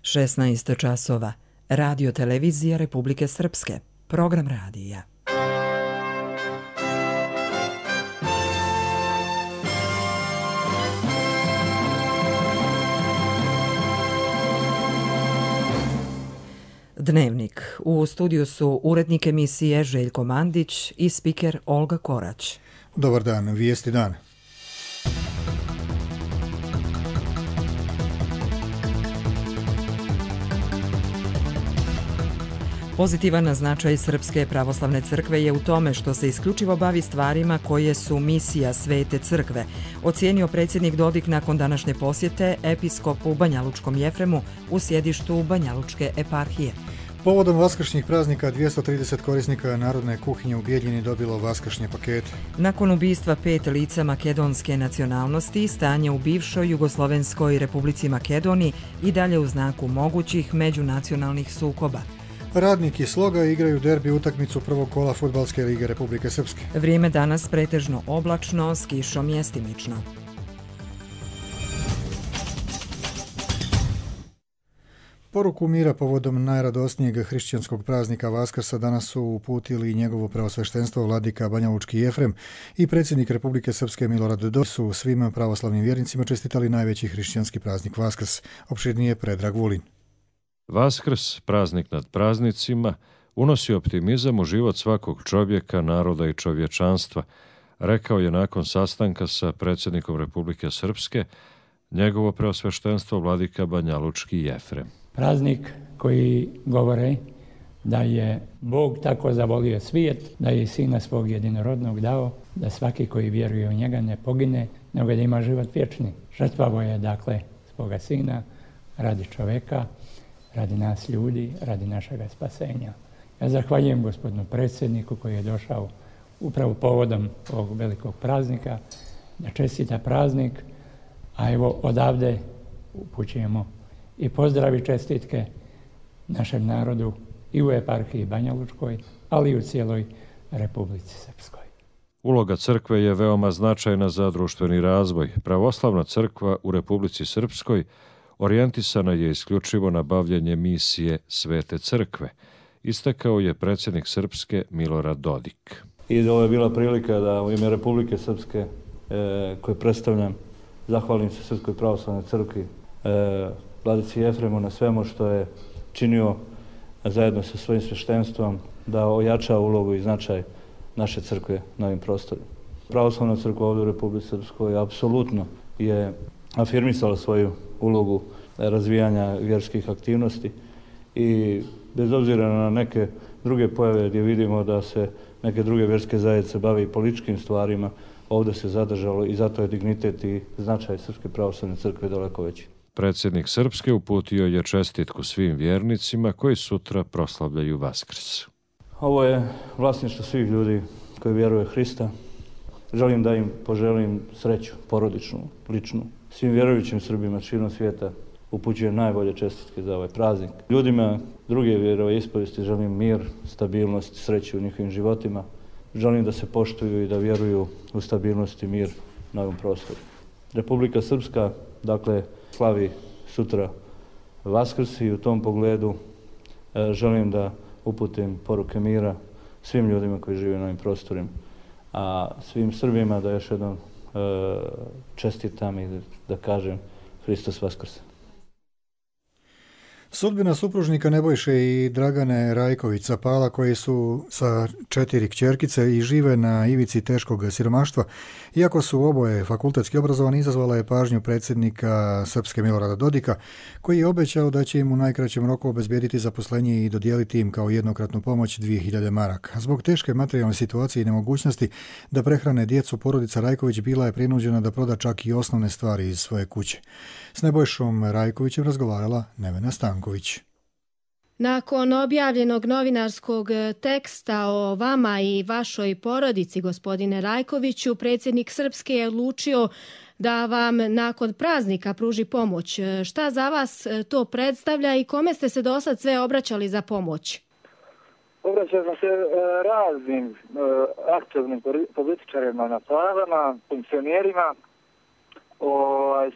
16 časova. Radio televizija Republike Srpske. Program radija. Dnevnik. U studiju su urednik emisije Željko Mandić i spiker Olga Korać. Dobar dan, vijesti dan. Pozitivan značaj Srpske pravoslavne crkve je u tome što se isključivo bavi stvarima koje su misija Svete crkve, ocijenio predsjednik Dodik nakon današnje posjete episkopu Banjalučkom Jefremu u sjedištu Banjalučke eparhije. Povodom vaskršnjih praznika 230 korisnika narodne kuhinje u Bijeljini dobilo vaskršnje pakete. Nakon ubistva 5 lica makedonske nacionalnosti, stanje u bivšoj Jugoslovenskoj Republici Makedoniji i dalje u znaku mogućih međunacionalnih sukoba. Radnik i Sloga igraju derbi utakmicu prvog kola Fudbalske lige Republike Srpske. Vrijeme danas pretežno oblačno, s kišom mjestimično. Poruku mira povodom najradosnijeg hrišćanskog praznika Vaskrsa danas su uputili njegovo preosveštenstvo vladika Banjalučki Jefrem i predsjednik Republike Srpske Milorad Dodik su svim pravoslavnim vjernicima čestitali najveći hrišćanski praznik Vaskrs. Opširnije Predrag Vulin. Vaskrs, praznik nad praznicima, unosi optimizam u život svakog čovjeka, naroda i čovječanstva, rekao je nakon sastanka sa predsjednikom Republike Srpske njegovo preosveštenstvo vladika Banjalučki Jefrem. Praznik koji govore da je Bog tako zavolio svijet, da je Sina svog jedinorodnog dao, da svaki koji vjeruje u njega ne pogine, nego da ima život vječni. Žrtvovao je dakle svoga Sina radi čoveka, radi nas ljudi, radi našega spasenja. Ja zahvaljujem gospodinu predsjedniku koji je došao upravo povodom ovog velikog praznika, da čestita praznik, a evo odavde upućujemo i pozdravi čestitke našem narodu i u eparhiji Banjalučkoj, ali i u cijeloj Republici Srpskoj. Uloga crkve je veoma značajna za društveni razvoj. Pravoslavna crkva u Republici Srpskoj orijentisana je isključivo na bavljenje misije Svete crkve, istakao je predsjednik Srpske Milorad Dodik. I ovo je bila prilika da u ime Republike Srpske, koje predstavljam, zahvalim se Srpskoj pravoslavnoj crkvi, vladici Jefremu na svemu što je činio zajedno sa svojim sveštenstvom da ojača ulogu i značaj naše crkve na ovim prostorima. Pravoslavna crkva ovdje u Republici Srpskoj apsolutno je afirmisala svoju ulogu razvijanja vjerskih aktivnosti i bez obzira na neke druge pojave gdje vidimo da se neke druge vjerske zajednice bave i političkim stvarima, ovdje se zadržalo i zato je dignitet i značaj Srpske pravoslavne crkve daleko veći. Predsjednik Srpske uputio je čestitku svim vjernicima koji sutra proslavljaju Vaskrs. Ovo je vlasništvo svih ljudi koji vjeruju Hrista. Želim da im poželim sreću, porodičnu, ličnu. Svim vjerujućim Srbima širom svijeta upućujem najbolje čestitke za ovaj praznik. Ljudima druge vjeroispovesti želim mir, stabilnost, sreću u njihovim životima. Želim da se poštuju i da vjeruju u stabilnost i mir na ovom prostoru. Republika Srpska, dakle, slavi sutra Vaskrs i u tom pogledu želim da uputim poruke mira svim ljudima koji žive na ovim prostorima, a svim Srbima da još jednom čestitam i da kažem Hristos Vaskrse. Sudbina supružnika Nebojše i Dragane Rajković-Sapala koji su sa 4 kćerkice i žive na ivici teškog siromaštva, iako su oboje fakultetski obrazovani, izazvala je pažnju predsjednika Srpske Milorada Dodika, koji je obećao da će im u najkraćem roku obezbijediti zaposlenje i dodijeliti im kao jednokratnu pomoć 2000 maraka. Zbog teške materijalne situacije i nemogućnosti da prehrane djecu, porodica Rajković bila je prinuđena da proda čak i osnovne stvari iz svoje kuće. S Nebojšom Rajkovićem razgovarala Nevena Stanković. Nakon objavljenog novinarskog teksta o vama i vašoj porodici, gospodine Rajkoviću, predsjednik Srpske je odlučio da vam nakon praznika pruži pomoć. Šta za vas to predstavlja i kome ste se do sad sve obraćali za pomoć? Obraćao sam se raznim aktivnim političarima na plavama, funkcionerima,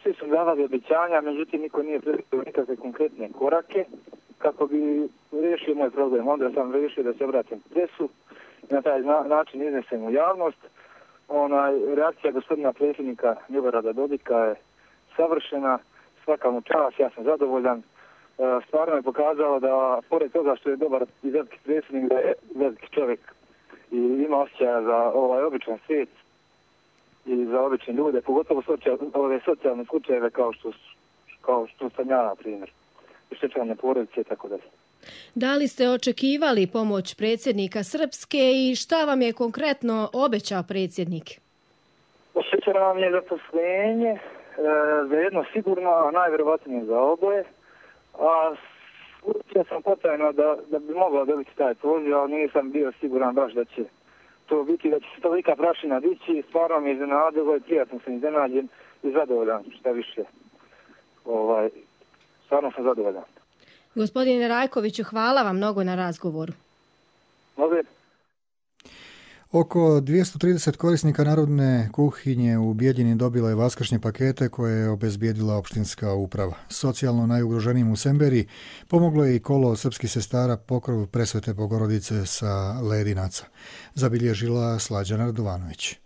Svi su davali obećanja, međutim niko nije predstavio nikakve konkretne korake kako bi riješio moj problem. Onda sam riješio da se obratim presu i na taj način iznesem u javnost. Reakcija gospodina predsjednika Milorada Dodika je savršena, svaka mu čast, ja sam zadovoljan. Stvarno je pokazalo da, pored toga što je dobar i veliki predsjednik, da je veliki čovjek i ima osjećaja za običan svijet i za obične ljude, pogotovo ove socijalne slučajeve kao što sam ja, na primjer, oštećene porodice i tako dalje. Da li ste očekivali pomoć predsjednika Srpske i šta vam je konkretno obećao predsjednik? Obećao nam je zaposlenje, za jedno sigurno, a najvjerovatnije za oboje. A učio sam potajno da bi mogao dobiti taj poziv, ali nisam bio siguran baš da će to biti, da će se tolika prašina dići. Stvarno mi je iznenadilo i prijatno sam iznenađen i zadovoljan, šta više. Stvarno sam zadovoljan. Gospodine Rajkoviću, hvala vam mnogo na razgovoru. Može. Oko 230 korisnika narodne kuhinje u Bijeljini dobilo je vaskršnje pakete koje je obezbijedila opštinska uprava. Socijalno najugroženijim u Semberiji pomoglo je i kolo srpskih sestara Pokrov Presvete Bogorodice sa Ledinaca. Zabilježila Slađana Radovanović.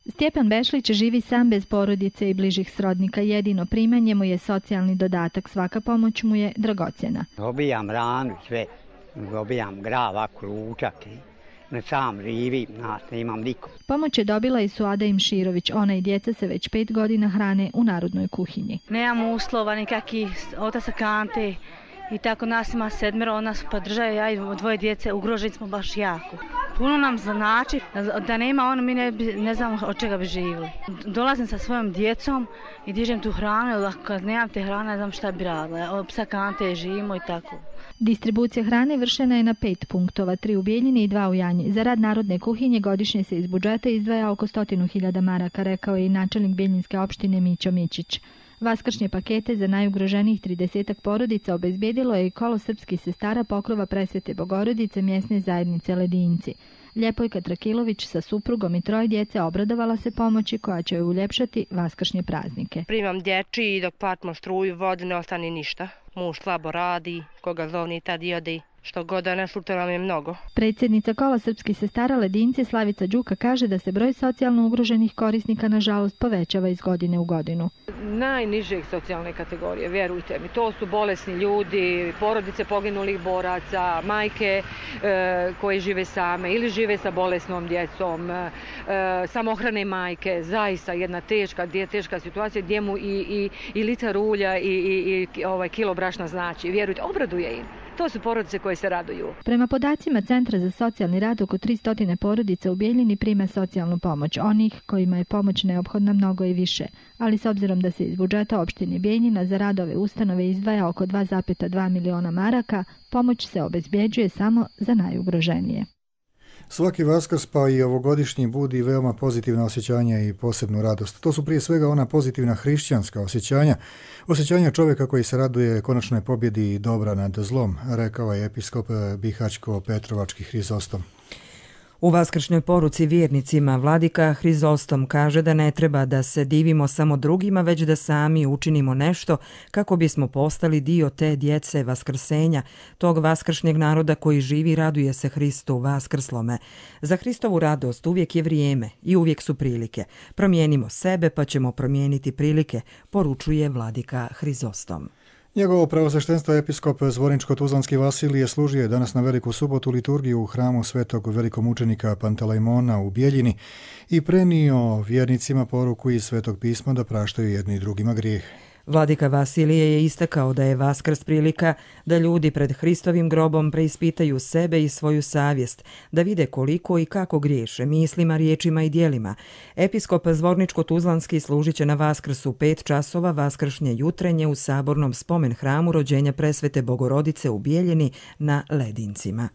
Stjepan Bešlić živi sam bez porodice i bližih srodnika. Jedino primanje mu je socijalni dodatak. Svaka pomoć mu je dragocjena. Dobijam ranu sve, dobijam grava, kručak, ne sam živim, nemam nikom. Pomoć je dobila i Suada Imširović. Ona i djeca se već 5 godina hrane u narodnoj kuhinji. Nemam uslova nikakvih, otac kante i tako nas ima 7, nas podržaju, ja i 2 djece, ugroženi smo baš jako. Puno nam znači da nema mi ne znam od čega bi živjeli. Dolazim sa svojom djecom i dižem tu hranu, jer kad nemam te hrane ne znam šta bi radila. Od psa kante živimo i tako. Distribucija hrane vršena je na 5 punktova, 3 u Bijeljini i 2 u Janji. Za rad narodne kuhinje godišnje se iz budžeta izdvaja oko 100.000 maraka, rekao je i načelnik Bijeljinske opštine Mićo Mićić. Vaskršnje pakete za najugroženijih 30 porodica obezbijedilo je i kolo srpskih sestara Pokrova Presvete Bogorodice mjesne zajednice Ledinci. Ljepojka Trakilović sa suprugom i 3 djece obradovala se pomoći koja će joj uljepšati vaskršnje praznike. Primam dječji i dok platimo struju, vode, ne ostane ništa. Muž slabo radi, koga zovni tad i odi. Što god da ne sluta nam je mnogo. Predsjednica kola srpskih sestara Ledinci Slavica Đuka kaže da se broj socijalno ugroženih korisnika nažalost povećava iz godine u godinu. Najnižeg socijalne kategorije, vjerujte mi, to su bolesni ljudi, porodice poginulih boraca, majke koje žive same ili žive sa bolesnom djecom, samohrane majke, zaista jedna teška situacija gdje mu i litar ulja i kilo brašna znači, vjerujte, obraduje im. To su porodice koje se raduju. Prema podacima Centra za socijalni rad, oko 300 porodica u Bijeljini prima socijalnu pomoć. Onih kojima je pomoć neophodna mnogo i više. Ali s obzirom da se iz budžeta opštine Bijeljina za rad ove ustanove izdvaja oko 2,2 miliona maraka, pomoć se obezbjeđuje samo za najugroženije. Svaki Vaskrs pa i ovogodišnji budi veoma pozitivna osjećanja i posebnu radost. To su prije svega ona pozitivna hrišćanska osjećanja čovjeka koji se raduje konačnoj pobjedi dobra nad zlom, rekao je episkop Bihaćko-Petrovački Hrizostom. U vaskršnjoj poruci vjernicima vladika Hrizostom kaže da ne treba da se divimo samo drugima, već da sami učinimo nešto kako bismo postali dio te djece vaskrsenja, tog vaskršnjeg naroda koji živi i raduje se Hristu vaskrslome. Za Hristovu radost uvijek je vrijeme i uvijek su prilike. Promijenimo sebe pa ćemo promijeniti prilike, poručuje vladika Hrizostom. Njegovo preosveštenstvo episkop Zvorničko-Tuzlanski Vasilije služio je danas na Veliku subotu liturgiju u hramu svetog velikomučenika Pantelejmona u Bijeljini i prenio vjernicima poruku iz Svetog pisma da praštaju jedni i drugima grijeh. Vladika Vasilije je istakao da je Vaskrs prilika da ljudi pred Hristovim grobom preispitaju sebe i svoju savjest, da vide koliko i kako griješe mislima, riječima i djelima. Episkop Zvorničko-Tuzlanski služit će na Vaskrsu 5 časova vaskršnje jutrenje u sabornom spomen hramu rođenja Presvete Bogorodice u Bijeljini na Ledincima.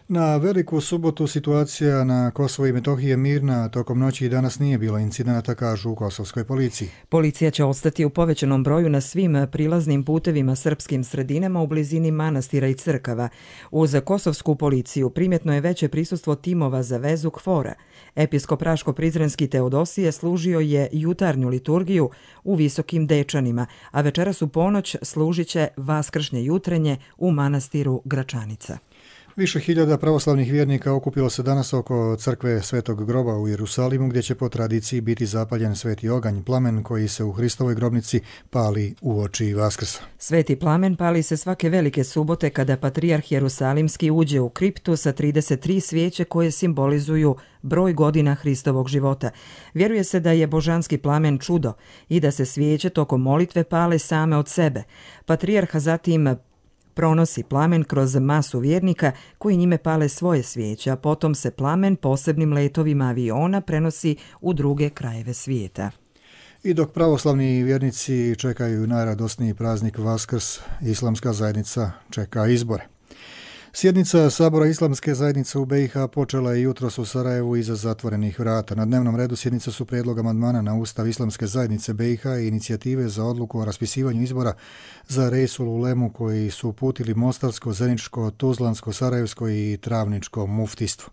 Na Veliku subotu situacija na Kosovo i Metohiji je mirna, tokom noći i danas nije bilo incidenata, kažu u kosovskoj policiji. Policija će ostati u povećanom broju na svim prilaznim putevima srpskim sredinama u blizini manastira i crkava. Uz kosovsku policiju primjetno je veće prisustvo timova za vezu KFOR-a. Episkop Raško-Prizrenski Teodosije služio je jutarnju liturgiju u Visokim Dečanima, a večeras u ponoć služit će vaskršnje jutrenje u manastiru Gračanica. Više hiljada pravoslavnih vjernika okupilo se danas oko crkve Svetog groba u Jerusalimu, gdje će po tradiciji biti zapaljen sveti oganj, plamen koji se u Hristovoj grobnici pali uoči Vaskrsa. Sveti plamen pali se svake velike subote kada patrijarh Jerusalimski uđe u kriptu sa 33 svijeće koje simbolizuju broj godina Hristovog života. Vjeruje se da je božanski plamen čudo i da se svijeće tokom molitve pale same od sebe. Patrijarh zatim pronosi plamen kroz masu vjernika koji njime pale svoje svijeće, a potom se plamen posebnim letovima aviona prenosi u druge krajeve svijeta. I dok pravoslavni vjernici čekaju najradosniji praznik Vaskrs, islamska zajednica čeka izbore. Sjednica Sabora Islamske zajednice u BiH počela je jutros u Sarajevu iza zatvorenih vrata. Na dnevnom redu sjednice su prijedlog amandmana na Ustav Islamske zajednice BiH i inicijative za odluku o raspisivanju izbora za Reisul Ulemu koji su uputili Mostarsko, Zeničko, Tuzlansko, Sarajevsko i Travničko muftijstvo.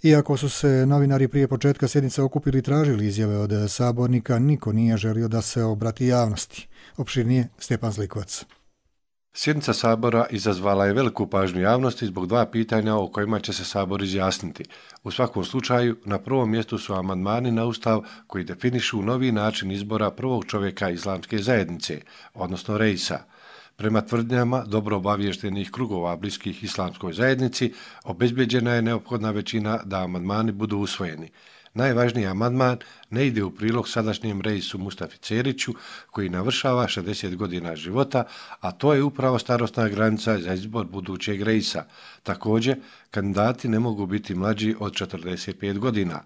Iako su se novinari prije početka sjednice okupili i tražili izjave od sabornika, niko nije želio da se obrati javnosti. Opširnije Stjepan Zlikovac. Sjednica Sabora izazvala je veliku pažnju javnosti zbog dva pitanja o kojima će se Sabor izjasniti. U svakom slučaju, na prvom mjestu su amandmani na Ustav koji definišu novi način izbora prvog čovjeka Islamske zajednice, odnosno Reisa. Prema tvrdnjama dobro obaviještenih krugova bliskih Islamskoj zajednici, obezbeđena je neophodna većina da amandmani budu usvojeni. Najvažniji amandman ne ide u prilog sadašnjem Reisu Mustafi Ceriću, koji navršava 60 godina života, a to je upravo starosna granica za izbor budućeg Reisa. Također, kandidati ne mogu biti mlađi od 45 godina.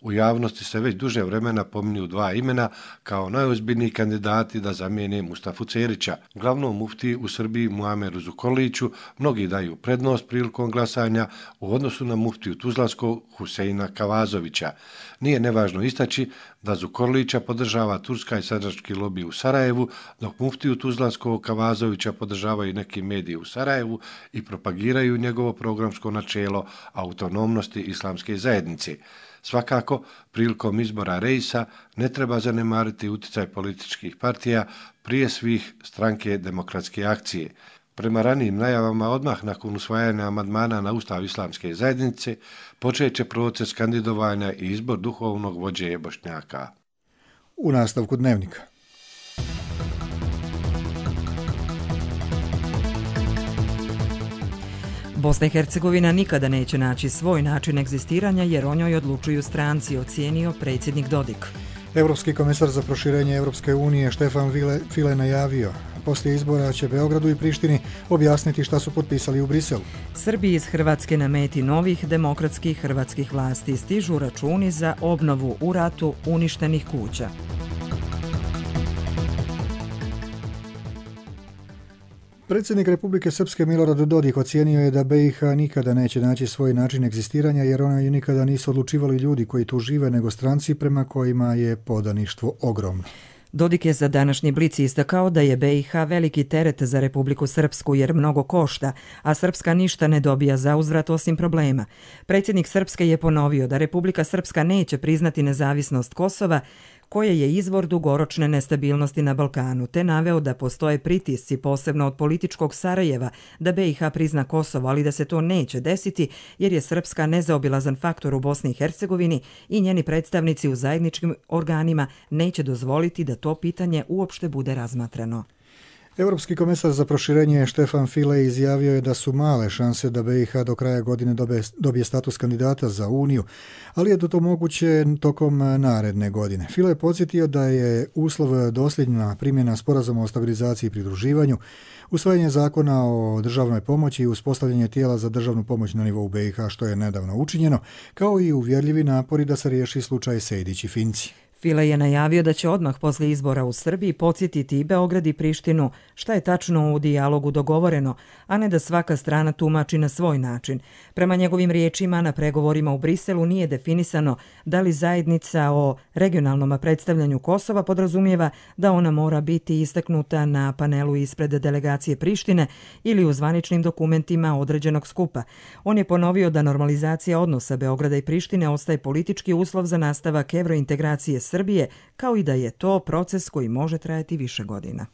U javnosti se već duže vremena pominju dva imena kao najozbiljniji kandidati da zamijene Mustafu Cerića. Glavnom muftiji u Srbiji Muameru Zukorliću mnogi daju prednost prilikom glasanja u odnosu na muftiju Tuzlanskog Huseina Kavazovića. Nije nevažno istaći da Zukorlića podržava turska i sandžački lobi u Sarajevu, dok muftiju Tuzlanskog Kavazovića podržavaju neki mediji u Sarajevu i propagiraju njegovo programsko načelo autonomnosti Islamske zajednice. Svakako, prilikom izbora Reisa ne treba zanemariti utjecaj političkih partija, prije svih Stranke demokratske akcije. Prema ranijim najavama, odmah nakon usvajanja amandmana na Ustav Islamske zajednice, počet će proces kandidovanja i izbor duhovnog vođe Bošnjaka. U nastavku dnevnika. Bosna i Hercegovina nikada neće naći svoj način egzistiranja jer o njoj odlučuju stranci, ocijenio predsjednik Dodik. Europski komesar za proširenje Europske unije Štefan File najavio. Poslije izbora će Beogradu i Prištini objasniti šta su potpisali u Briselu. Srbiji iz Hrvatske na meti novih demokratskih hrvatskih vlasti stižu računi za obnovu u ratu uništenih kuća. Predsjednik Republike Srpske Milorad Dodik ocijenio je da BiH nikada neće naći svoj način egzistiranja jer one nikada nisu odlučivali ljudi koji tu žive nego stranci prema kojima je podaništvo ogromno. Dodik je za današnji Blic istakao da je BiH veliki teret za Republiku Srpsku jer mnogo košta, a Srpska ništa ne dobija za uzvrat osim problema. Predsjednik Srpske je ponovio da Republika Srpska neće priznati nezavisnost Kosova, koje je izvor dugoročne nestabilnosti na Balkanu, te naveo da postoje pritisci, posebno od političkog Sarajeva, da BiH prizna Kosovo, ali da se to neće desiti jer je Srpska nezaobilazan faktor u Bosni i Hercegovini i njeni predstavnici u zajedničkim organima neće dozvoliti da to pitanje uopšte bude razmatrano. Europski komesar za proširenje Štefan File izjavio je da su male šanse da BiH do kraja godine dobije status kandidata za Uniju, ali je to moguće tokom naredne godine. File je podsjetio da je uslov dosljedna primjena sporazuma o stabilizaciji i pridruživanju, usvajanje zakona o državnoj pomoći i uspostavljanje tijela za državnu pomoć na nivou BiH, što je nedavno učinjeno, kao i uvjerljivi napori da se riješi slučaj Sejdić i Finci. File je najavio da će odmah poslije izbora u Srbiji podsjetiti i Beograd i Prištinu šta je tačno u dijalogu dogovoreno, a ne da svaka strana tumači na svoj način. Prema njegovim riječima, na pregovorima u Briselu nije definisano da li zajednica o regionalnom predstavljanju Kosova podrazumijeva da ona mora biti istaknuta na panelu ispred delegacije Prištine ili u zvaničnim dokumentima određenog skupa. On je ponovio da normalizacija odnosa Beograda i Prištine ostaje politički uslov za nastavak evrointegracije Srbije, kao i da je to proces koji može trajati više godina.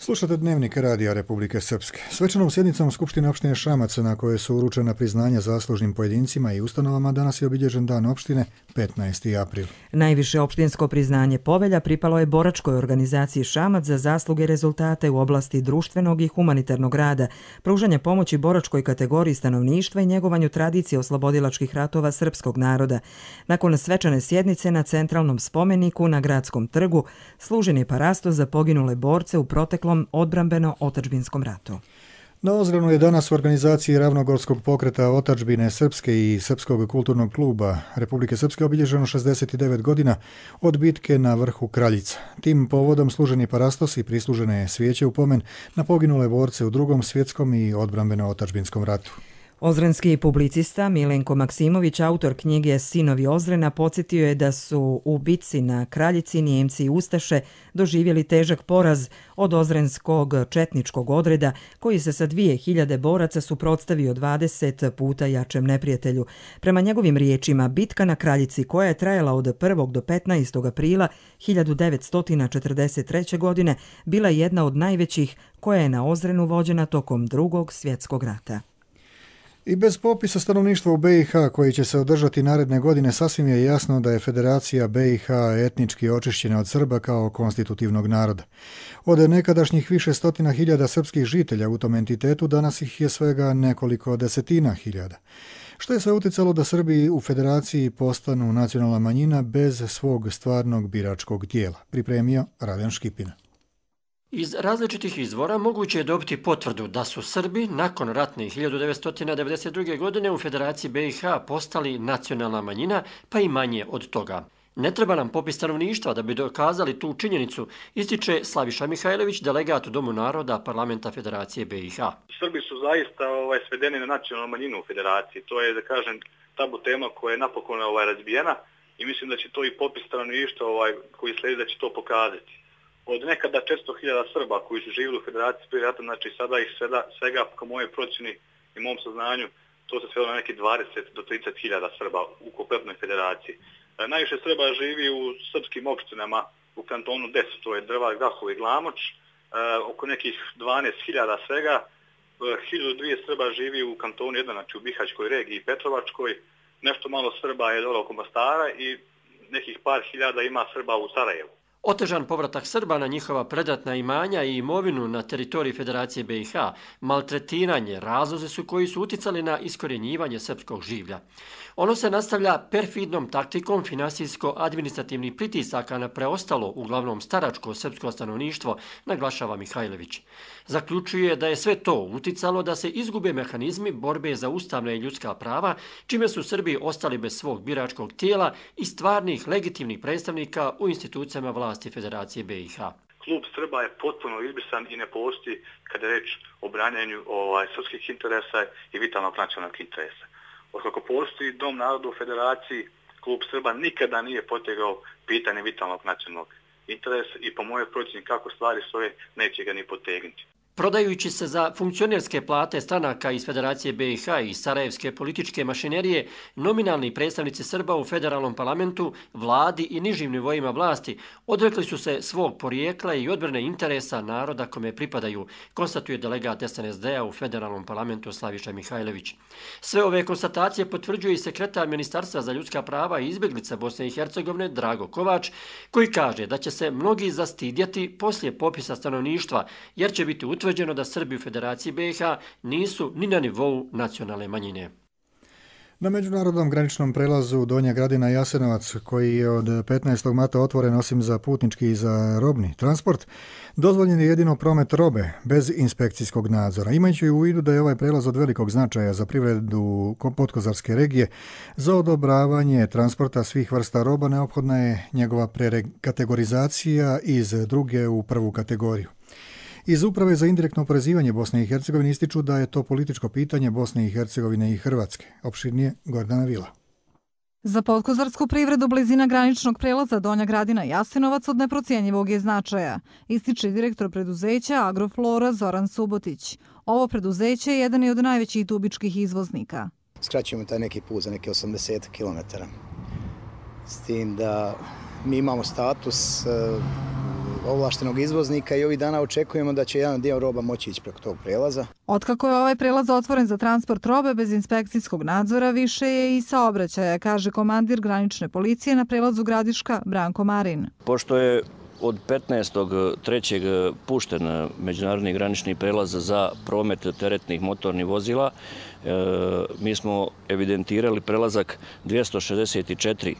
Slušate Dnevnik Radija Republike Srpske. Svečanom sjednicom Skupštine opštine Šamac, na koje su uručena priznanja zaslužnim pojedincima i ustanovama, danas je obilježen dan opštine, 15. april. Najviše opštinsko priznanje Povelja pripalo je boračkoj organizaciji Šamac za zasluge i rezultate u oblasti društvenog i humanitarnog rada, pružanja pomoći boračkoj kategoriji stanovništva i njegovanju tradicije oslobodilačkih ratova srpskog naroda. Nakon svečane sjednice na centralnom spomeniku na Gradskom trgu služen je parasto za poginule borce u proteklom odbrambeno-otadžbinskom ratu. Na Ozrenu je danas u organizaciji Ravnogorskog pokreta Otadžbine Srpske i Srpskog kulturnog kluba Republike Srpske obilježeno 69 godina od bitke na vrhu Kraljica. Tim povodom služeni parastos i prislužene svijeće u pomen na poginule borce u Drugom svjetskom i odbrambeno-otadžbinskom ratu. Ozrenski publicista Milenko Maksimović, autor knjige Sinovi Ozrena, podsjetio je da su u bitci na Kraljici Nijemci i Ustaše doživjeli težak poraz od ozrenskog četničkog odreda, koji se sa 2000 boraca suprotstavio 20 puta jačem neprijatelju. Prema njegovim riječima, bitka na Kraljici, koja je trajala od 1. do 15. aprila 1943. godine, bila jedna od najvećih koja je na Ozrenu vođena tokom Drugog svjetskog rata. I bez popisa stanovništva u BiH koji će se održati naredne godine sasvim je jasno da je Federacija BiH etnički očišćena od Srba kao konstitutivnog naroda. Od nekadašnjih više stotina hiljada srpskih žitelja u tom entitetu danas ih je svega nekoliko desetina hiljada. Što je sve utjecalo da Srbi u Federaciji postanu nacionalna manjina bez svog stvarnog biračkog tijela, pripremio Raden Škipina. Iz različitih izvora moguće je dobiti potvrdu da su Srbi nakon ratne 1992. godine u Federaciji BiH postali nacionalna manjina, pa i manje od toga. Ne treba nam popis stanovništva da bi dokazali tu činjenicu, ističe Slaviša Mihajlović, delegat u Domu naroda Parlamenta Federacije BiH. Srbi su zaista svedeni na nacionalnu manjinu u Federaciji. To je, da kažem, tabu tema koja je napokon razbijena i mislim da će to i popis stanovništva koji slijedi da će to pokazati. Od nekada 400.000 Srba koji su živjeli u Federaciji prije rata, znači sada ih svega po moje procjeni i mom saznanju, to se svelo na neki 20 do 30.000 Srba u kompletnoj federaciji. Najviše Srba živi u srpskim opštinama u kantonu 10, to je Drvar, Grahovo i Glamoč, oko nekih 12.000 svega. 1.200 Srba živi u kantonu 1, znači u Bihaćkoj regiji i Petrovačkoj, nešto malo Srba je dole oko Mostara i nekih par hiljada ima Srba u Sarajevu. Otežan povratak Srba na njihova predratna imanja i imovinu na teritoriji Federacije BiH, maltretiranje, razlozi su koji su uticali na iskorjenjivanje srpskog življa. Ono se nastavlja perfidnom taktikom finansijsko-administrativnih pritisaka na preostalo, uglavnom staračko srpsko stanovništvo, naglašava Mihajlović. Zaključuje da je sve to uticalo da se izgube mehanizmi borbe za ustavna i ljudska prava, čime su Srbi ostali bez svog biračkog tijela i stvarnih legitimnih predstavnika u institucijama vlasti Federacije BiH. Klub Srba je potpuno izbrisan i ne postoji kada je reč o branjanju srpskih interesa i vitalnog nacionalnog interesa. Otkako postoji Dom naroda u Federaciji, Klub Srba nikada nije potegao pitanje vitalnog nacionalnog interesa i po mojoj procjeni kako stvari stoje neće ga ni potegnuti. Prodajući se za funkcionerske plate stranaka iz Federacije BiH i sarajevske političke mašinerije, nominalni predstavnici Srba u federalnom parlamentu, vladi i nižim nivoima vlasti odrekli su se svog porijekla i odbrane interesa naroda kome pripadaju, konstatuje delegat SNSD-a u federalnom parlamentu Slaviša Mihajlović. Sve ove konstatacije potvrđuje i sekretar Ministarstva za ljudska prava i izbjeglica Bosne i Hercegovine Drago Kovač, koji kaže da će se mnogi zastidjeti poslije popisa stanovništva, jer će biti utvrđeno da Srbi u Federaciji BiH nisu ni na nivou nacionalne manjine. Na međunarodnom graničnom prelazu Donja Gradina Jasenovac, koji je od 15. marta otvoren osim za putnički i za robni transport, dozvoljen je jedino promet robe bez inspekcijskog nadzora. Imajući u vidu da je ovaj prelaz od velikog značaja za privredu Podkozarske regije, za odobravanje transporta svih vrsta roba neophodna je njegova prekategorizacija iz druge u prvu kategoriju. Iz Uprave za indirektno oporezivanje Bosne i Hercegovine ističu da je to političko pitanje Bosne i Hercegovine i Hrvatske. Opširnije Gordana Vila. Za podkozarsku privredu blizina graničnog prelaza Donja Gradina Jasenovac od neprocijenjivog je značaja, ističe direktor preduzeća Agroflora Zoran Subotić. Ovo preduzeće je jedan od najvećih dubičkih izvoznika. Skraćujemo taj neki put za neke 80 km. S tim da mi imamo status ovlaštenog izvoznika i ovih dana očekujemo da će jedan dio roba moći ići preko tog prelaza. Otkako je ovaj prelaz otvoren za transport robe bez inspekcijskog nadzora, više je i saobraćaja, kaže komandir granične policije na prelazu Gradiška Branko Marin. Pošto je od 15.3. pušten međunarodni granični prelaz za promet teretnih motornih vozila, mi smo evidentirali prelazak 264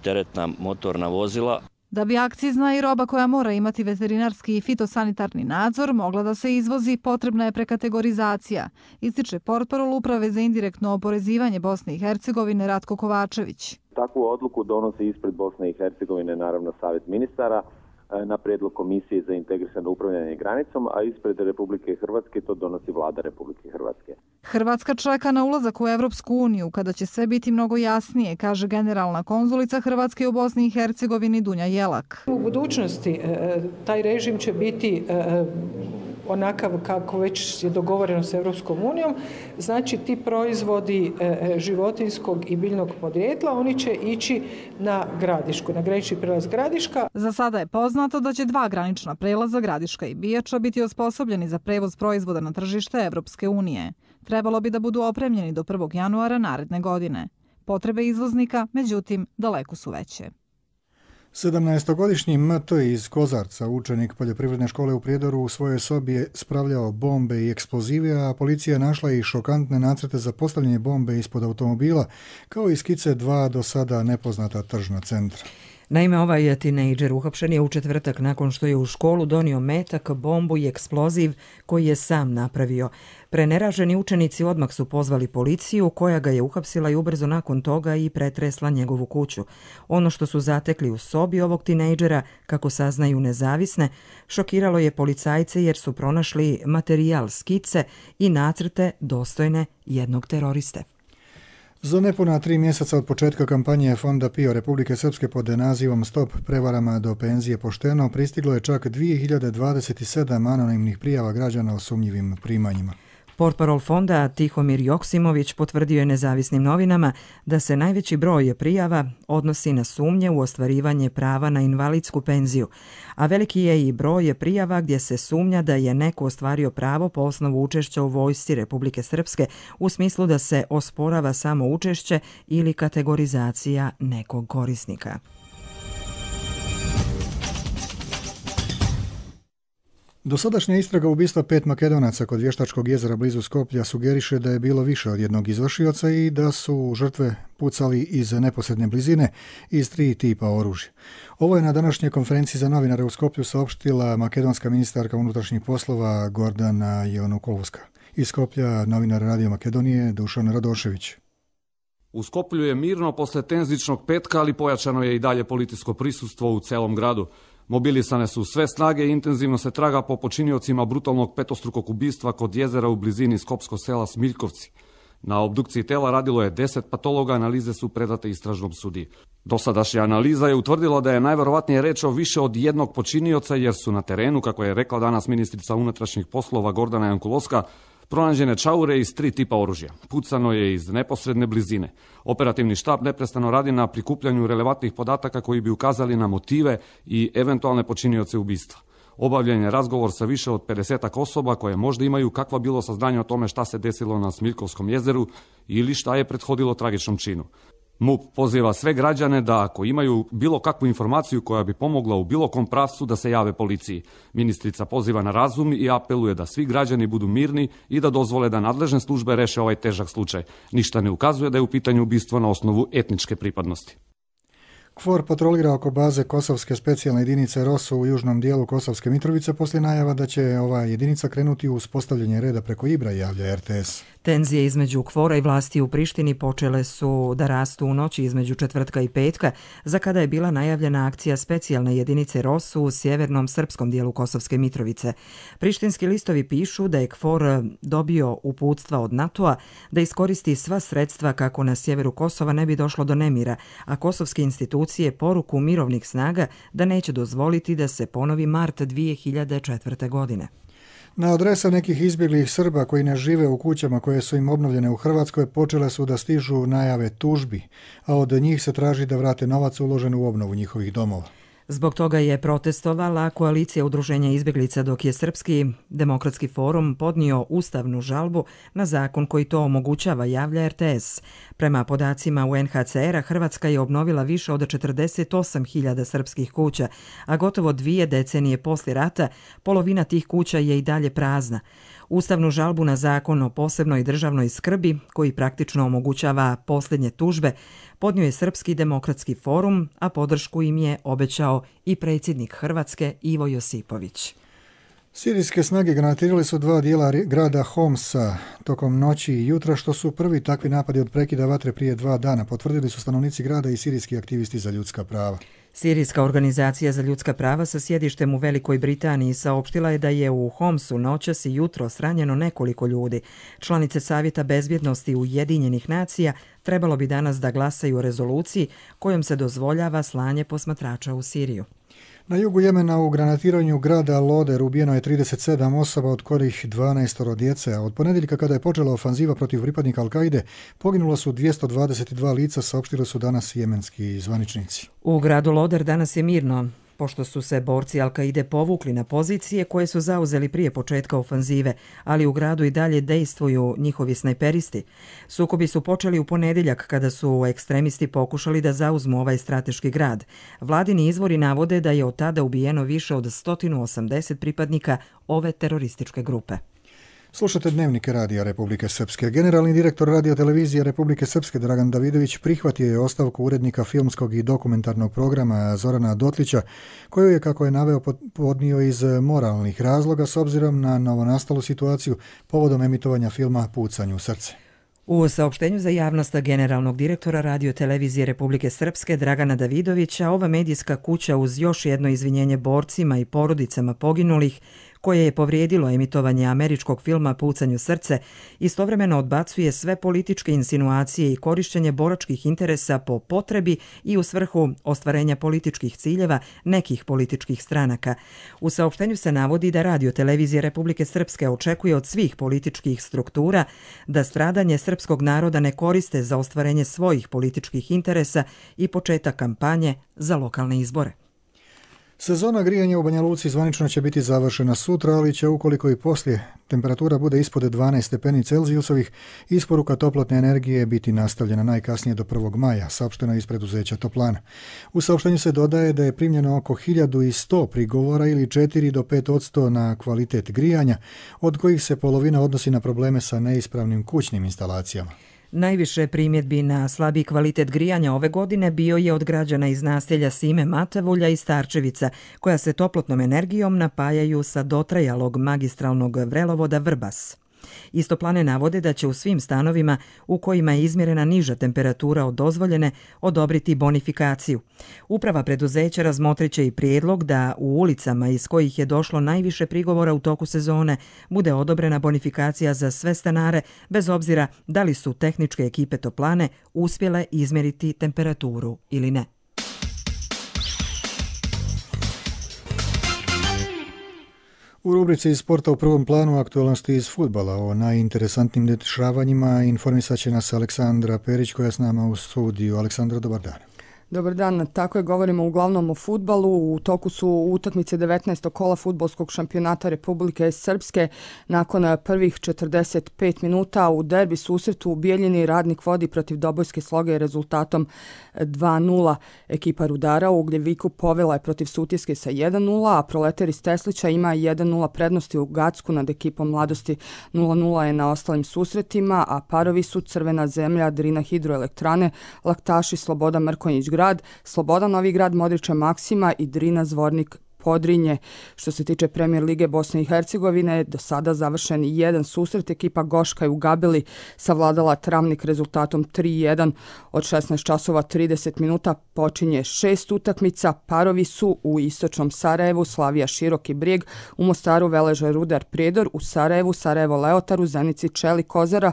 teretna motorna vozila. Da bi akcizna i roba koja mora imati veterinarski i fitosanitarni nadzor mogla da se izvozi, potrebna je prekategorizacija, ističe portparol Uprave za indirektno oporezivanje Bosne i Hercegovine Ratko Kovačević. Takvu odluku donosi ispred Bosne i Hercegovine naravno Savjet ministara na prijedlog Komisije za integrisano upravljanje granicom, a ispred Republike Hrvatske to donosi Vlada Republike Hrvatske. Hrvatska čeka na ulazak u Evropsku uniju kada će sve biti mnogo jasnije, kaže generalna konzulica Hrvatske u Bosni i Hercegovini Dunja Jelak. U budućnosti taj režim će biti onakav kako već je dogovoreno s Evropskom unijom, znači ti proizvodi životinjskog i biljnog podrijetla, oni će ići na Gradišku, na granični prelaz Gradiška. Za sada je poznato da će 2 granična prelaza Gradiška i Bijača biti osposobljeni za prevoz proizvoda na tržište Evropske unije. Trebalo bi da budu opremljeni do 1. januara naredne godine. Potrebe izvoznika, međutim, daleko su veće. 17-godišnji MT iz Kozarca, učenik poljoprivredne škole u Prijedoru, u svojoj sobi je spravljao bombe i eksplozive, a policija je našla i šokantne nacrte za postavljanje bombe ispod automobila, kao i skice 2 do sada nepoznata tržna centra. Naime, ovaj tinejdžer uhapšen je u četvrtak nakon što je u školu donio metak, bombu i eksploziv koji je sam napravio. Preneraženi učenici odmah su pozvali policiju, koja ga je uhapsila i ubrzo nakon toga i pretresla njegovu kuću. Ono što su zatekli u sobi ovog tinejdžera, kako saznaju nezavisne, šokiralo je policajce jer su pronašli materijal, skice i nacrte dostojne jednog teroriste. Za nepuna 3 mjeseca od početka kampanje Fonda PIO Republike Srpske pod nazivom Stop prevarama do penzije pošteno pristiglo je čak 2027 anonimnih prijava građana o sumnjivim primanjima. Portparol fonda Tihomir Joksimović potvrdio je nezavisnim novinama da se najveći broj prijava odnosi na sumnje u ostvarivanje prava na invalidsku penziju, a veliki je i broj prijava gdje se sumnja da je neko ostvario pravo po osnovu učešća u vojsci Republike Srpske u smislu da se osporava samo učešće ili kategorizacija nekog korisnika. Dosadašnja istraga ubistva 5 Makedonaca kod Vještačkog jezera blizu Skoplja sugeriše da je bilo više od jednog izvršioca i da su žrtve pucali iz neposredne blizine iz 3 tipa oružja. Ovo je na današnjoj konferenciji za novinare u Skoplju saopštila makedonska ministarka unutrašnjih poslova Gordana Jonukovska. Iz Skoplja novinar Radio Makedonije Dušan Radošević. U Skoplju je mirno posle tenzičnog petka, ali pojačano je i dalje policijsko prisustvo u celom gradu. Mobilisane su sve snage i intenzivno se traga po počiniocima brutalnog petostrukog ubistva kod jezera u blizini skopskog sela Smiljkovci. Na obdukciji tela radilo je 10 patologa, analize su predate istražnom sudiji. Dosadašnja analiza je utvrdila da je najverovatnije reč o više od jednog počinioca, jer su na terenu, kako je rekla danas ministrica unutrašnjih poslova Gordana Jankulovska, pronađene čaure iz 3 tipa oružja. Pucano je iz neposredne blizine. Operativni štab neprestano radi na prikupljanju relevantnih podataka koji bi ukazali na motive i eventualne počinioce ubistva. Obavljen je razgovor sa više od 50 osoba koje možda imaju kakva bilo saznanje o tome šta se desilo na Smiljkovskom jezeru ili šta je prethodilo tragičnom činu. MUP poziva sve građane da ako imaju bilo kakvu informaciju koja bi pomogla u bilo kom pravcu da se jave policiji. Ministrica poziva na razum i apeluje da svi građani budu mirni i da dozvole da nadležne službe reše ovaj težak slučaj. Ništa ne ukazuje da je u pitanju ubistvo na osnovu etničke pripadnosti. KFOR patrolira oko baze Kosovske specijalne jedinice ROSU u južnom dijelu Kosovske Mitrovice poslije najava da će ova jedinica krenuti u uspostavljanje reda preko Ibra, javlja RTS. Tenzije između KFOR-a i vlasti u Prištini počele su da rastu u noći između četvrtka i petka, za kada je bila najavljena akcija specijalne jedinice ROSU u sjevernom srpskom dijelu Kosovske Mitrovice. Prištinski listovi pišu da je KFOR dobio uputstva od NATO-a da iskoristi sva sredstva kako na sjeveru Kosova ne bi došlo do nemira, a kosovske institucije poruku mirovnih snaga da neće dozvoliti da se ponovi mart 2004. godine. Na adresa nekih izbjeglih Srba koji ne žive u kućama koje su im obnovljene u Hrvatskoj počele su da stižu najave tužbi, a od njih se traži da vrate novac uložen u obnovu njihovih domova. Zbog toga je protestovala koalicija udruženja izbjeglica, dok je Srpski demokratski forum podnio ustavnu žalbu na zakon koji to omogućava, javlja RTS. Prema podacima UNHCR-a, Hrvatska je obnovila više od 48.000 srpskih kuća, a gotovo 2 decenije poslije rata polovina tih kuća je i dalje prazna. Ustavnu žalbu na zakon o posebnoj državnoj skrbi, koji praktično omogućava posljednje tužbe, podnio je Srpski demokratski forum, a podršku im je obećao i predsjednik Hrvatske Ivo Josipović. Sirijske snage granatirali su 2 dijela grada Homsa tokom noći i jutra, što su prvi takvi napadi od prekida vatre prije 2 dana, potvrdili su stanovnici grada i sirijski aktivisti za ljudska prava. Sirijska organizacija za ljudska prava sa sjedištem u Velikoj Britaniji saopštila je da je u Homsu noćas i jutros ranjeno nekoliko ljudi. Članice Savjeta bezbjednosti Ujedinjenih nacija trebalo bi danas da glasaju o rezoluciji kojom se dozvoljava slanje posmatrača u Siriju. Na jugu Jemena u granatiranju grada Loder ubijeno je 37 osoba, od kojih 12 djece, a od ponedjeljka kada je počela ofanziva protiv pripadnika Al-Kaide, poginulo su 222 lica, saopštili su danas jemenski zvaničnici. U gradu Loder danas je mirno, pošto su se borci Al-Kaide povukli na pozicije koje su zauzeli prije početka ofanzive, ali u gradu i dalje dejstvuju njihovi snajperisti. Sukobi su počeli u ponedjeljak kada su ekstremisti pokušali da zauzmu ovaj strateški grad. Vladini izvori navode da je od tada ubijeno više od 180 pripadnika ove terorističke grupe. Slušate Dnevnike Radija Republike Srpske. Generalni direktor radiotelevizije Republike Srpske Dragan Davidović prihvatio je ostavku urednika filmskog i dokumentarnog programa Zorana Dotlića, koju je, kako je naveo, podnio iz moralnih razloga s obzirom na novonastalu situaciju povodom emitovanja filma Pucanj u srce. U saopštenju za javnost generalnog direktora radiotelevizije Republike Srpske Dragana Davidovića, ova medijska kuća uz još jedno izvinjenje borcima i porodicama poginulih, koje je povrijedilo emitovanje američkog filma Pucanj u srce, istovremeno odbacuje sve političke insinuacije i korišćenje boračkih interesa po potrebi i u svrhu ostvarenja političkih ciljeva nekih političkih stranaka. U saopštenju se navodi da radiotelevizija Republike Srpske očekuje od svih političkih struktura da stradanje srpskog naroda ne koriste za ostvarenje svojih političkih interesa i početak kampanje za lokalne izbore. Sezona grijanja u Banja Luci zvanično će biti završena sutra, ali će, ukoliko i poslije temperatura bude ispod 12 stepeni Celzijusovih, isporuka toplotne energije biti nastavljena najkasnije do 1. maja, saopšteno iz preduzeća Toplana. U saopštenju se dodaje da je primljeno oko 1100 prigovora ili 4 do 5% na kvalitet grijanja, od kojih se polovina odnosi na probleme sa neispravnim kućnim instalacijama. Najviše primjedbi na slabiji kvalitet grijanja ove godine bio je od građana iz naselja Sime Matavulja i Starčevica, koja se toplotnom energijom napajaju sa dotrajalog magistralnog vrelovoda Vrbas. Iz Toplane navode da će u svim stanovima u kojima je izmjerena niža temperatura od dozvoljene odobriti bonifikaciju. Uprava preduzeća razmotrit će i prijedlog da u ulicama iz kojih je došlo najviše prigovora u toku sezone bude odobrena bonifikacija za sve stanare, bez obzira da li su tehničke ekipe Toplane uspjele izmjeriti temperaturu ili ne. U rubrici iz sporta u prvom planu aktualnosti iz fudbala. O najinteresantnim dešavanjima informisat će nas Aleksandra Perić, koja je s nama u studiju. Aleksandra, dobar dan. Dobar dan, tako je, govorimo uglavnom o fudbalu. U toku su utakmice 19. kola fudbalskog šampionata Republike Srpske. Nakon prvih 45 minuta u derbi susretu u Bijeljini Radnik vodi protiv Dobojske Sloge rezultatom 2-0. Ekipa Rudara u Ugljeviku povela je protiv Sutjeske sa 1-0, a Proletar iz Teslića ima 1-0 prednosti u Gacku nad ekipom Mladosti. 0-0 je na ostalim susretima, a parovi su Crvena zemlja, Drina hidroelektrane, Laktaši Sloboda Mrkonjić grad, Sloboda Novi grad Modrića Maksima i Drina Zvornik Podrinje. Što se tiče Premijer Lige Bosne i Hercegovine, do sada završen jedan susret. Ekipa Goška je u Gabeli savladala Travnik rezultatom 3-1. Od 16 časova 30 minuta počinje 6 utakmica. Parovi su u Istočnom Sarajevu Slavija Široki Brijeg, u Mostaru Veleža Rudar Prijedor, u Sarajevu Sarajevo Leotar, u Zenici Čeli Kozara.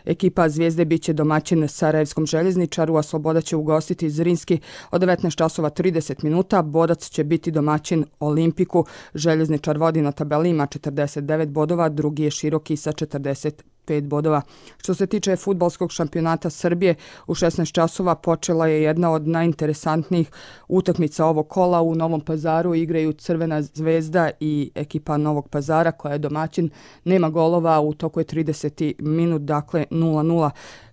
Ekipa Zvijezde biće domaćin Sarajevskom željezničaru, a Sloboda će ugostiti Zrinski od 19 časova 30 minuta. Bodac će biti domaćin Olimpiku. Željezničar vodi na tabeli, ima 49 bodova, drugi je Široki sa 45 bodova. Što se tiče fudbalskog šampionata Srbije, u 16 časova počela je jedna od najinteresantnijih utakmica ovog kola. U Novom Pazaru igraju Crvena zvezda i ekipa Novog Pazara koja je domaćin. Nema golova, u toku je 30. minut, dakle 0-0.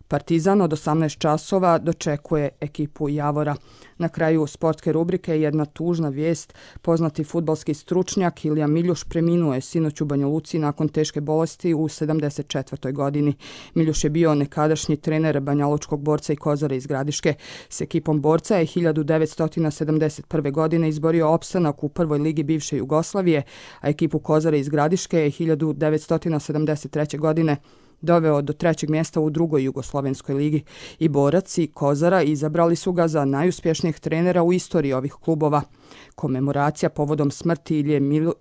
Partizan od 18 časova dočekuje ekipu Javora. Na kraju sportske rubrike jedna tužna vijest. Poznati fudbalski stručnjak Ilija Miljuš preminuo je sinoć u Banja Luci nakon teške bolesti u 74. godini. Miljuš je bio nekadašnji trener banjalučkog Borca i Kozare iz Gradiške. S ekipom Borca je 1971. godine izborio opstanak u prvoj ligi bivše Jugoslavije, a ekipu Kozare iz Gradiške je 1973. godine doveo do 3. mjesta u drugoj jugoslovenskoj ligi. I Borac i Kozara izabrali su ga za najuspješnijeg trenera u istoriji ovih klubova. Komemoracija povodom smrti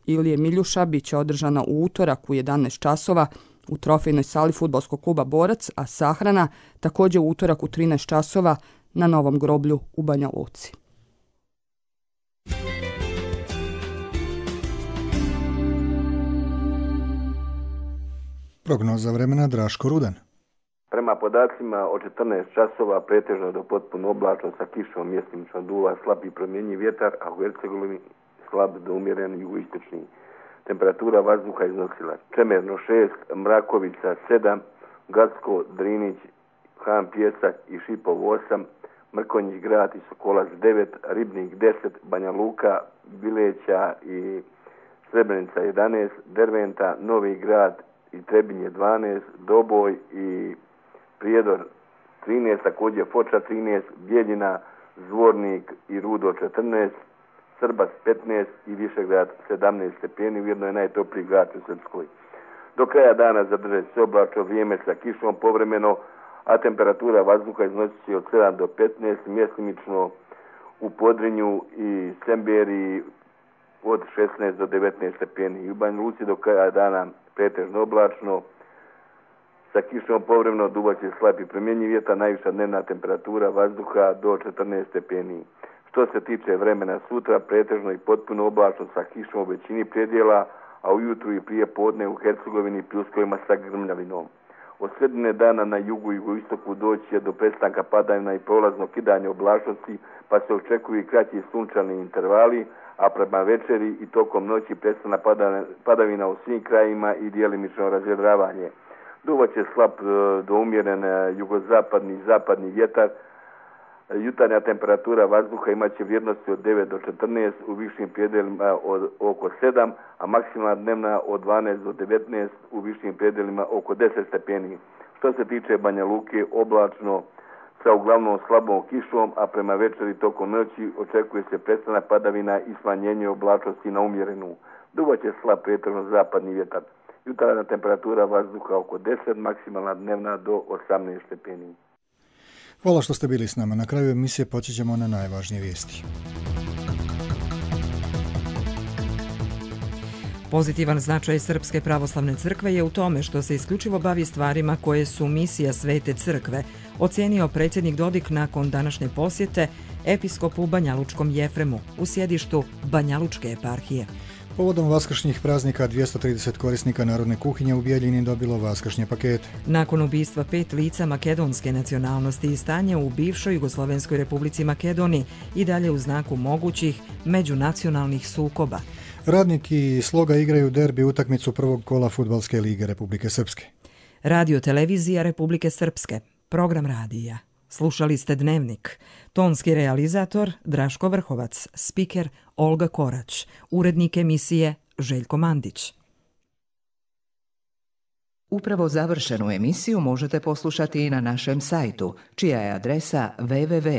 Ilije Miljuša bit će održana u utorak u 11 časova u trofejnoj sali fudbalskog kluba Borac, a sahrana također u utorak u 13 časova na Novom groblju u Banja Luci. Prognoza vremena Draško Rudan. Prema podacima od 14 časova pretežno do potpuno oblačno sa kišom, mjestimično duva slab i promjenjiv vjetar, a u Hercegovini slab do umjeren jugoistočni. Temperatura vazduha iznosila Čemerno 6, Mrakovica 7, Gacko, Drinić, Han Pjesak i Šipov 8, Mrkonjić grad i Sokolac 9, Ribnik 10, Banja Luka, Bileća i Srebrenica 11, Derventa, Novi grad i Trebinje 12, Doboj i Prijedor 13, također Foča 13, Bijeljina, Zvornik i Rudo 14, Srbac 15 i Višegrad 17 stepeni, ujedno je najtopliji grad u Srpskoj. Do kraja dana zadržati se oblačno vrijeme sa kišom povremeno, a temperatura vazduha iznosi se od 7 do 15, mjestimično u Podrinju i Semberiji od 16 do 19 stepeni. I u Banja Luci do kraja dana pretežno oblačno, sa kišom povremeno duvaće slab i promjenjiv vjetar, najviša dnevna temperatura vazduha do 14 stepeni. Što se tiče vremena sutra, pretežno i potpuno oblačno sa kišom u većini predjela, a ujutru i prije podne u Hercegovini pljuskovima sa grmljavinom. Od sredine dana na jugu i jugoistoku doći je do prestanka padavina i prolaznog kidanja oblačnosti, pa se očekuju i kraći sunčani intervali, a prema večeri i tokom noći prestana padavina u svim krajima i djelimično razvedravanje. Duvaće slab do umjeren jugozapadni i zapadni vjetar. Jutarnja temperatura vazduha imat će vrijednosti od 9 do 14, u višim predjelima od oko 7, a maksimalna dnevna od 12 do 19, u višim predjelima oko 10 stepeni. Što se tiče Banja Luke, oblačno sa uglavnom slabom kišom, a prema večeri tokom noći očekuje se prestanak padavina i smanjenje oblačnosti na umjerenu. Duvaće slab pretežno zapadni vjetar. Jutarnja temperatura vazduha oko 10, maksimalna dnevna do 18 stepeni. Hvala što ste bili s nama. Na kraju emisije podsjećamo na najvažnije vijesti. Pozitivan značaj Srpske pravoslavne crkve je u tome što se isključivo bavi stvarima koje su misija Svete crkve, ocijenio predsjednik Dodik nakon današnje posjete episkopu Banjalučkom Jefremu u sjedištu Banjalučke eparhije. Povodom vaskršnjih praznika 230 korisnika narodne kuhinje u Bijeljini dobilo vaskršnje pakete. Nakon ubistva 5 lica makedonske nacionalnosti i stanja u bivšoj Jugoslovenskoj republici Makedoniji i dalje u znaku mogućih međunacionalnih sukoba. Radnik i Sloga igraju derbi utakmicu prvog kola Fudbalske lige Republike Srpske. Radio televizija Republike Srpske. Program radija. Slušali ste Dnevnik. Tonski realizator Draško Vrhovac, spiker Olga Korać, urednik emisije Željko Mandić. Upravo završenu emisiju možete poslušati i na našem sajtu, čija je adresa www.rtrs.tv.